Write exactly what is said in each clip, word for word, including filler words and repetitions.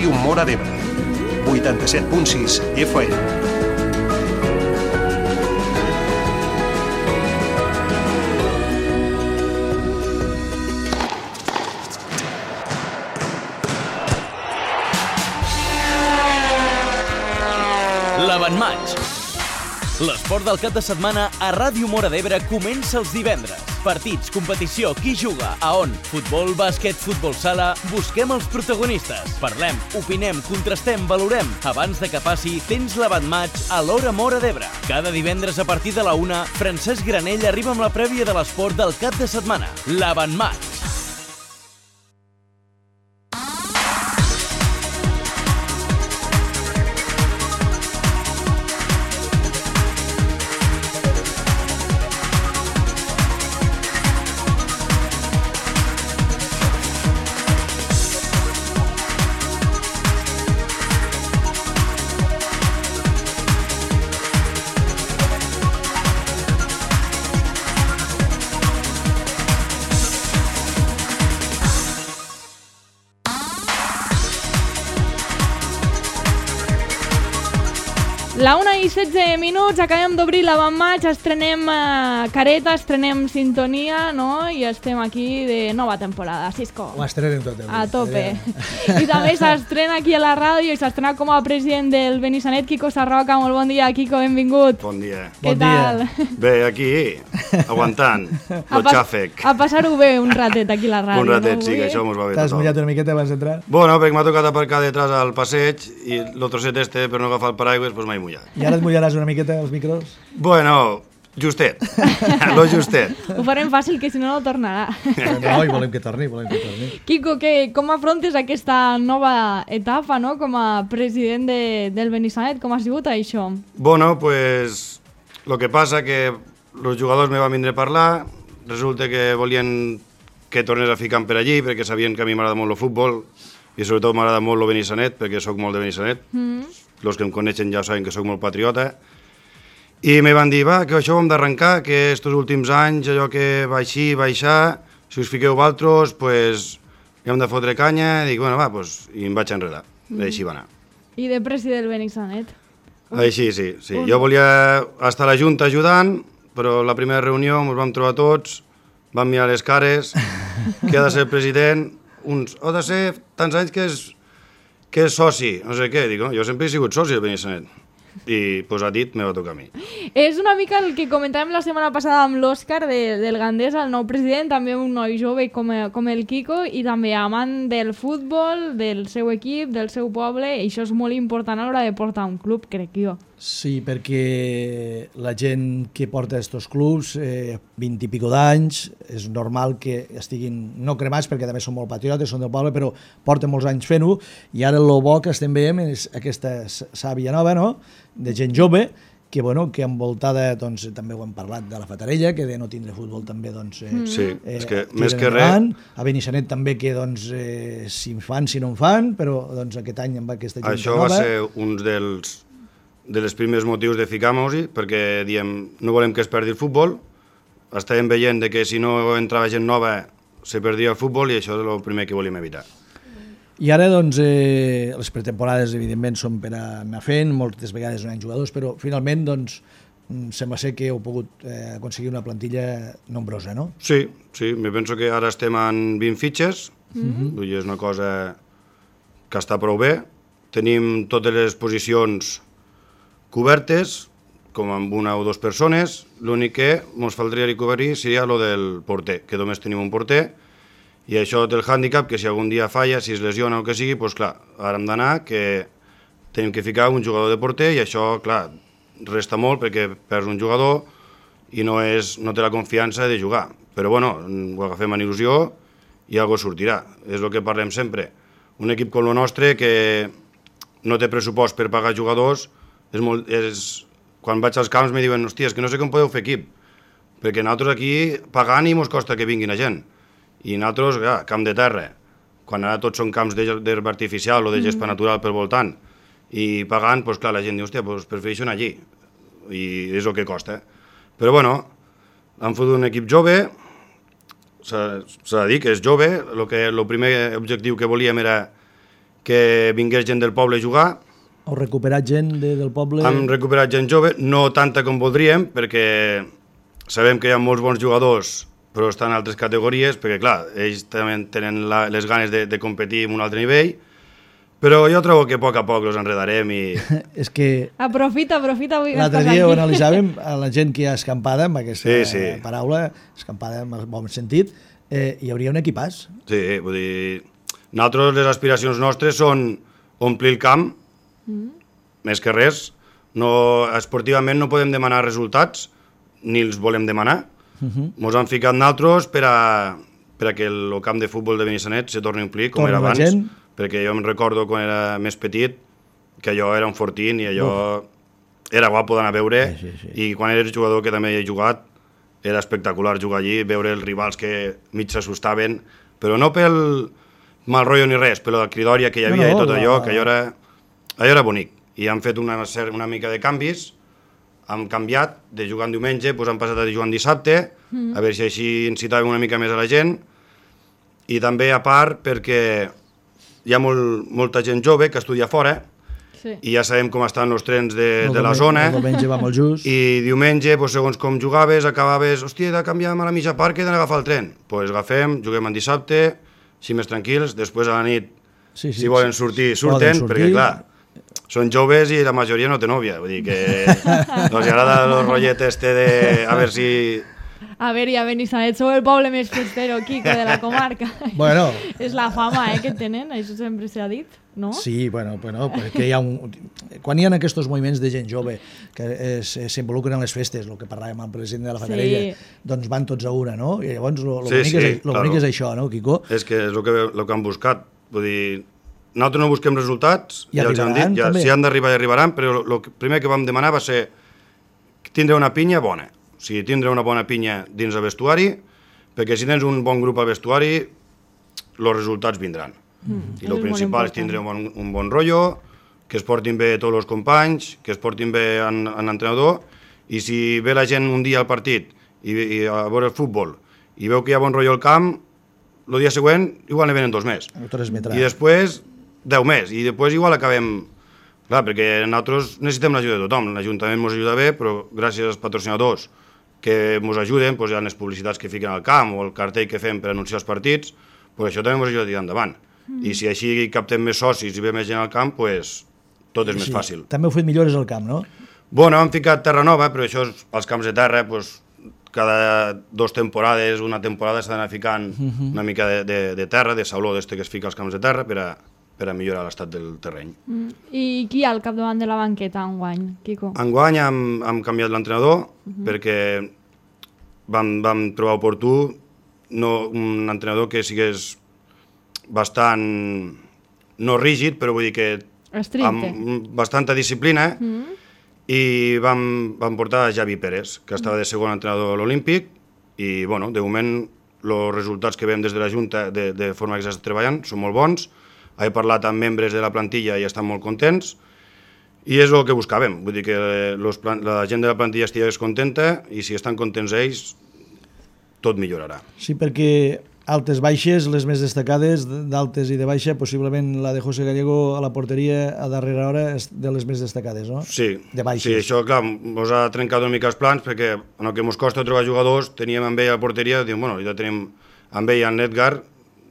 Ràdio Móra d'Ebre, vuitanta-set punt sis F M. L'Avantmatx. L'esport del cap de setmana a Ràdio Móra d'Ebre comença els divendres. Partits, competició, qui juga, a on? Futbol, bàsquet, futbol sala... Busquem els protagonistes. Parlem, opinem, contrastem, valorem. Abans de que passi, tens l'Avantmatx a l'Hora Móra d'Ebre. Cada divendres a partir de la una, Francesc Granell arriba amb la prèvia de l'esport del cap de setmana. L'Avantmatx. La una i setze minuts, acabem d'obrir l'Avantmatx, estrenem uh, careta, estrenem sintonia, no? I estem aquí de nova temporada, Cisco. Ho estrenem tot. A tope. I també s'estrena aquí a la ràdio i s'estrena com a president del Benissanet, Quico Sarroca. Molt bon dia, Quico, benvingut. Bon dia. Què bon tal? Dia. Bé, aquí, aguantant, el xàfec. A passar-ho bé un ratet aquí a la ràdio. Un ratet, no? sí, que això mos va bé T'has tothom. mullat una miqueta abans d'entrar? Bueno, perquè m'ha tocat aparcar detrás al passeig i el trosset este, per no agafar el paraigües, doncs m'he mullat. I ara et mullaràs una miqueta els micros? Bueno, justet, lo justet. Ho farem fàcil, que si no no tornarà. No, i volem que torni, volem que torni. Quico, que, com afrontes aquesta nova etapa, no?, com a president de, del Benissanet? Com ha sigut això? Bueno, pues, lo que passa que els jugadors me van vindre a parlar, resulta que volien que tornés a ficar per allí, perquè sabien que a mi m'agrada molt el futbol, i sobretot m'agrada molt el Benissanet, perquè sóc molt de Benissanet. Mm. Els que em coneixen ja saben que sóc molt patriota. I me van dir, va, que això ho hem d'arrencar, que estos últims anys, allò que va així, va aixà, si us fiqueu vosaltres, pues, hem de fotre canya. I dic, bueno, va, pues, i em vaig enredar. Mm. I així va anar. I de president del Benissanet? Així, sí, sí. Jo volia estar a la Junta ajudant, però la primera reunió ens vam trobar tots, vam mirar les cares, que ha de ser president, uns, ha de ser tants anys que és, que és soci, no sé què, dic, no? Jo sempre he sigut soci del Benissanet. I, pues, a dit, me va tocar a mi. És una mica el que comentàvem la setmana passada amb l'Òscar de, del Gandés, el nou president, també un noi jove com, com el Quico, i també amant del futbol, del seu equip, del seu poble, i això és molt important a l'hora de portar un club, crec jo. Sí, perquè la gent que porta aquests clubs, eh, vint i pico d'anys, és normal que estiguin no cremats, perquè també són molt patriotes, són del poble, però porten molts anys fent-ho, i ara el bo que estem veient és aquesta sàvia nova, no?, de gent jove, que, bueno, que envoltada, doncs, també ho hem parlat de la Fatarella, que de no tindre futbol també, doncs... Eh, sí, eh, és que tiren més que endavant. res... A Benissanet també, que, doncs, eh, si en fan, si no en fan, però, doncs, aquest any amb aquesta gent Això nova... va ser un dels, dels primers motius de ficar-nos-hi, perquè, diem, no volem que es perdi el futbol, estàvem veient de que si no entrava gent nova se perdia el futbol, i això és el primer que volíem evitar. I ara, doncs, eh, les pretemporades, evidentment, són per anar fent, moltes vegades no hi ha jugadors, però finalment, doncs, sembla ser que heu pogut eh, aconseguir una plantilla nombrosa, no? Sí, sí, me penso que ara estem en vint fitxes, mm-hmm. vull dir, és una cosa que està prou bé. Tenim totes les posicions cobertes, com amb una o dues persones, l'únic que ens faltaria cobrir seria lo del porter, que només tenim un porter, i això té el hàndicap que si algun dia falla, si es lesiona o el que sigui, doncs clar, ara hem d'anar que tenim que ficar un jugador de porter i això, clar, resta molt perquè perds un jugador i no, és, no té la confiança de jugar. Però bueno, ho agafem en il·lusió i alguna cosa sortirà. És el que parlem sempre. Un equip com el nostre que no té pressupost per pagar jugadors, és molt, és, quan vaig als camps me diuen, hòstia, és que no sé com podeu fer equip, perquè nosaltres aquí pagant i mos costa que vinguin a gent. I nosaltres, ja, camp de terra, quan ara tots són camps d'herba artificial o de gespa natural per voltant, i pagant, doncs clar, la gent diu, hòstia, doncs prefereixo anar allí, i és el que costa. Però bueno, han fet un equip jove, s'ha de dir que és jove, el, que, el primer objectiu que volíem era que vingués gent del poble a jugar. Heu recuperat gent de, del poble? Hem recuperat gent jove, no tanta com voldríem, perquè sabem que hi ha molts bons jugadors, però estan en altres categories, perquè clar, ells també tenen la, les ganes de, de competir en un altre nivell, però jo trobo que a poc a poc els enredarem i... És que... Aprofita, aprofita avui que l'altre estàs dia ho aquí. analitzàvem, a la gent que hi ha escampada, amb aquesta Sí, sí. paraula, escampada en el bon sentit, eh, hi hauria un equipàs. Sí, vull dir, nosaltres les aspiracions nostres són omplir el camp, mm. més que res. No, esportivament no podem demanar resultats, ni els volem demanar. Ens uh -huh. han ficat nosaltres per a, per a que el camp de futbol de Benissanet se torni a omplir, com Torna era abans. gent. Perquè jo em recordo quan era més petit, que allò era un fortín i allò Uf. era guapo d'anar a veure, sí, sí, sí. i quan eres jugador, que també hi he jugat, era espectacular jugar allí, veure els rivals que mig s'assustaven, però no pel mal rotllo ni res, però la cridòria que hi havia no, no, i tot allò, la... que allò era, allò era bonic. I han fet una, una mica de canvis, hem canviat, de jugar en diumenge, doncs han passat a jugar en dissabte, mm. a veure si així incitàvem una mica més a la gent, i també a part perquè hi ha molt, molta gent jove que estudia fora, sí. i ja sabem com estan els trens de, de la zona, el diumenge va molt just. I diumenge, doncs, segons com jugaves, acabaves, hòstia, he de canviar a la mitja part que he d'agafar el tren. Doncs pues agafem, juguem en dissabte, així més tranquils, després a la nit, sí, sí, si volen sortir, surten, poden sortir. Perquè clar, són joves i la majoria no té nòvia, vull dir que no els agrada el rotllet este de a veure si... A veure, ja Benissanet, sou el poble més festero, Quico, de la comarca. Bueno. És la fama eh, que tenen, això sempre s'ha dit, no? Sí, bueno, bueno perquè hi ha un... Quan hi ha aquests moviments de gent jove que s'involucren en les festes, el que parlàvem amb el president de la Fatarella, sí. doncs van tots a una, no? I llavors el sí, bonic, sí, és, claro. bonic és això, no, Quico? És que és el que, el que han buscat, vull dir... Nosaltres no busquem resultats, I ja els hem dit, ja, si han d'arribar ja arribaran, però el primer que vam demanar va ser tindre una pinya bona. O sigui, tindre una bona pinya dins el vestuari, perquè si tens un bon grup al vestuari, els resultats vindran. Mm, I el principal és tindre un bon, un bon rotllo, que es portin bé tots els companys, que es portin bé en, en l'entrenador, i si ve la gent un dia al partit i, i a veure el futbol i veu que hi ha bon rotllo al camp, el dia següent igual ne venen dos més. I després deu més, i després igual acabem... Clar, perquè nosaltres necessitem l'ajuda de tothom, l'Ajuntament ens ajuda bé, però gràcies als patrocinadors que ens ajuden, doncs hi ha les publicitats que fiquen al camp o el cartell que fem per anunciar els partits, doncs això també ens ajuda a tirar endavant. Mm. I si així captem més socis i ve més gent al camp, doncs tot és sí, més fàcil. També heu fet millores al camp, no? Bueno, hem ficat terra nova, però això és, als camps de terra, doncs, cada dos temporades, una temporada s'ha d'anar ficant mm-hmm. una mica de, de, de terra, de sauló d'este que es fica als camps de terra per a per a millorar l'estat del terreny. Mm. I qui hi ha al capdavant de la banqueta enguany, Quico? Enguany hem, hem canviat l'entrenador uh-huh. perquè vam, vam trobar oportú no, un entrenador que sigués bastant, no rígid, però vull dir que estricte. Amb bastanta disciplina uh-huh. i vam, vam portar a Javi Pérez, que estava de segon entrenador a l'Olímpic i, bueno, de moment, els resultats que veiem des de la Junta de, de forma que s'està treballant són molt bons. He parlat amb membres de la plantilla i estan molt contents i és el que buscàvem, vull dir que los, la gent de la plantilla estigués contenta i si estan contents ells, tot millorarà. Sí, perquè altes baixes, les més destacades, d'altes i de baixa, possiblement la de José Gallego a la porteria a darrera hora és de les més destacades, no? Sí, de baixes. Sí, això clar, ens ha trencat una mica els plans perquè en el que ens costa trobar jugadors teníem amb ell a la porteria, diem, bueno, ja tenim amb ell en Edgar,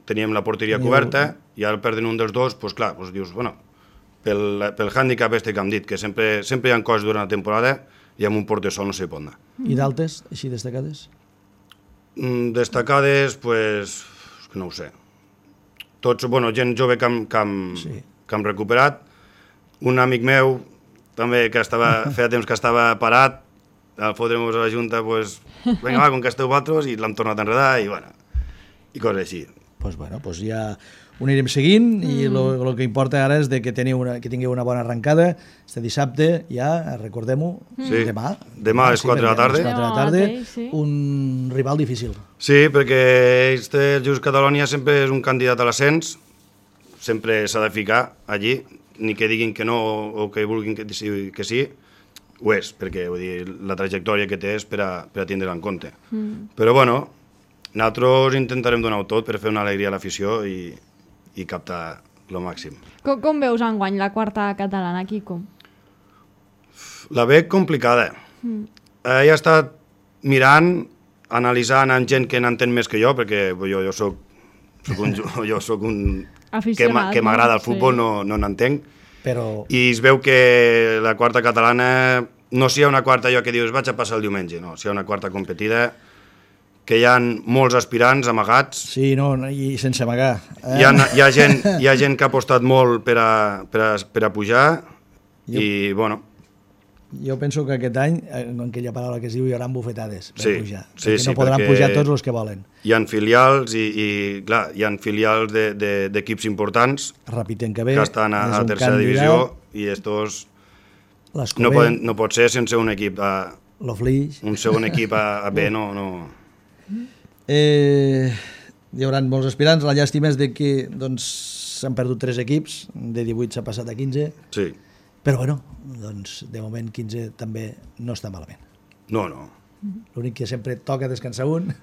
teníem la porteria coberta i ara perden un dels dos, doncs clar, doncs dius, bueno, pel, pel hàndicap este que hem dit, que sempre, sempre hi ha coses durant la temporada i amb un porter sol no se pot anar. I d'altes, així destacades? Mm, destacades, doncs, pues, no ho sé. Tots, bueno, gent jove que hem, que hem, sí. que hem recuperat. Un amic meu, també, que estava, feia temps que estava parat, al fotre-nos a la Junta, doncs, pues, vinga, va, com que esteu vosaltres, i l'hem tornat a enredar, i bueno, i coses així. Pues bueno, pues ja ho anirem seguint mm. i el que importa ara és de que, teniu una, que tingueu una bona arrencada. Este dissabte ja, recordem-ho, sí. demà. Demà a les quatre de la tarda. A les quatre de la tarda, sí. Un rival difícil. Sí, perquè este, el Just Catalonia sempre és un candidat a l'ascens, sempre s'ha de ficar allí, ni que diguin que no o que vulguin que, que sí, ho és, perquè vull dir, la trajectòria que té és per a, per a tindre en compte. Mm. Però bueno, nosaltres intentarem donar-ho tot per fer una alegria a l'afició i, i captar lo màxim. Com, com veus enguany la quarta catalana, Quico? La veig complicada. Mm. He estat mirant, analitzant amb gent que n'entén més que jo, perquè jo, jo soc, soc un, jo soc un aficionat, que m'agrada no? el futbol, Sí. no, no n'entenc. Però... I es veu que la quarta catalana, no si hi ha una quarta allò que dius vaig a passar el diumenge, no, si hi ha una quarta competida, que hi ha molts aspirants amagats. Sí, no, i sense amagar. Eh? Hi, ha, hi, ha gent, hi ha gent que ha apostat molt per a, per a, per a pujar Jo- i, bueno, Jo penso que aquest any, en aquella paraula que es diu, hi haurà bufetades per Sí, pujar. sí, perquè sí, no podran perquè- pujar tots els que volen. hi ha filials i, i clar, hi ha filials de- de- d'equips importants Repiten que ve, que estan a, és a un tercera candidat, divisió i estos l'Escober, no, poden, no pot ser sense un equip a, l'Oflix... un segon equip a, a B, no, no. Eh, hi haurà molts aspirants. La llàstima és de que doncs, s'han perdut tres equips, de divuit s'ha passat a quinze, Sí, però bueno, doncs, de moment quinze també no està malament. no, no. L'únic que sempre toca descansar un.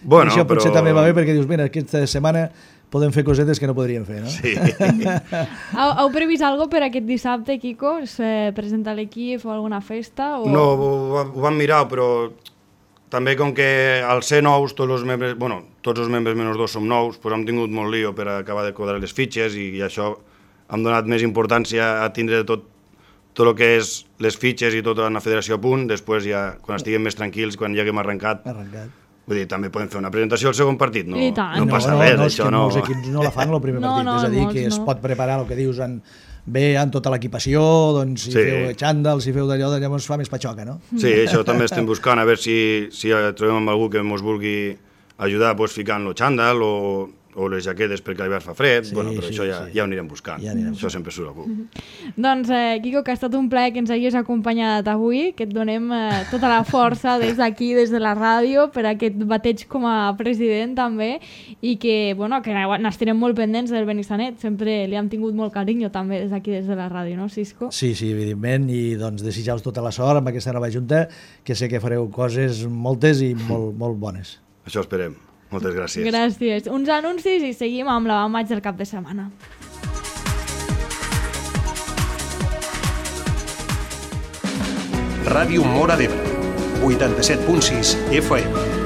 Bueno, I això potser però- també va bé perquè dius, mira, aquesta setmana podem fer cosetes que no podríem fer, no? Sí. Heu, heu previst alguna per aquest dissabte, Quico? Se presenta l'equip o alguna festa? O... No, ho, ho vam mirar, però també com que al ser nous, tots els membres, bueno, tots els membres menys dos som nous, doncs hem tingut molt lío per acabar de quadrar les fitxes i, i això hem donat més importància a tindre tot tot el que és les fitxes i tota la federació a punt, després ja, quan estiguem més tranquils, quan ja haguem arrencat, Arrencat. vull dir, també podem fer una presentació al segon partit, no, I tant. no No, passa no, res, no, és això que no... molts equips no la fan el primer No, partit, no, és a dir, molts que es no. pot preparar el que dius en, bé en tota l'equipació, doncs si Sí. feu xandall, si feu d'allò, llavors fa més patxoca, no? Sí, això també estem buscant, a veure si, si trobem amb algú que ens vulgui ajudar pues, ficant el xandall o, o les jaquetes perquè l'hivern fa fred, Sí, bueno, però sí, això ja, sí. ja ho anirem buscant, Ja anirem això sempre surt algú. Doncs, eh, Quico, que ha estat un plaer que ens hagis acompanyat avui, que et donem eh, tota la força des d'aquí, des de la ràdio, per aquest bateig com a president també, i que, bueno, que n'estirem molt pendents del Benissanet, sempre li hem tingut molt carinyo també des d'aquí, des de la ràdio, no, Cisco? Sí, sí, evidentment, i doncs desitjar-vos tota la sort amb aquesta nova junta, que sé que fareu coses moltes i molt, molt bones. Això esperem. Moltes gràcies. Gràcies. Uns anuncis i seguim amb la Van Maig del cap de setmana. Ràdio Móra d'Ebre, vuitanta-set punt sis F M.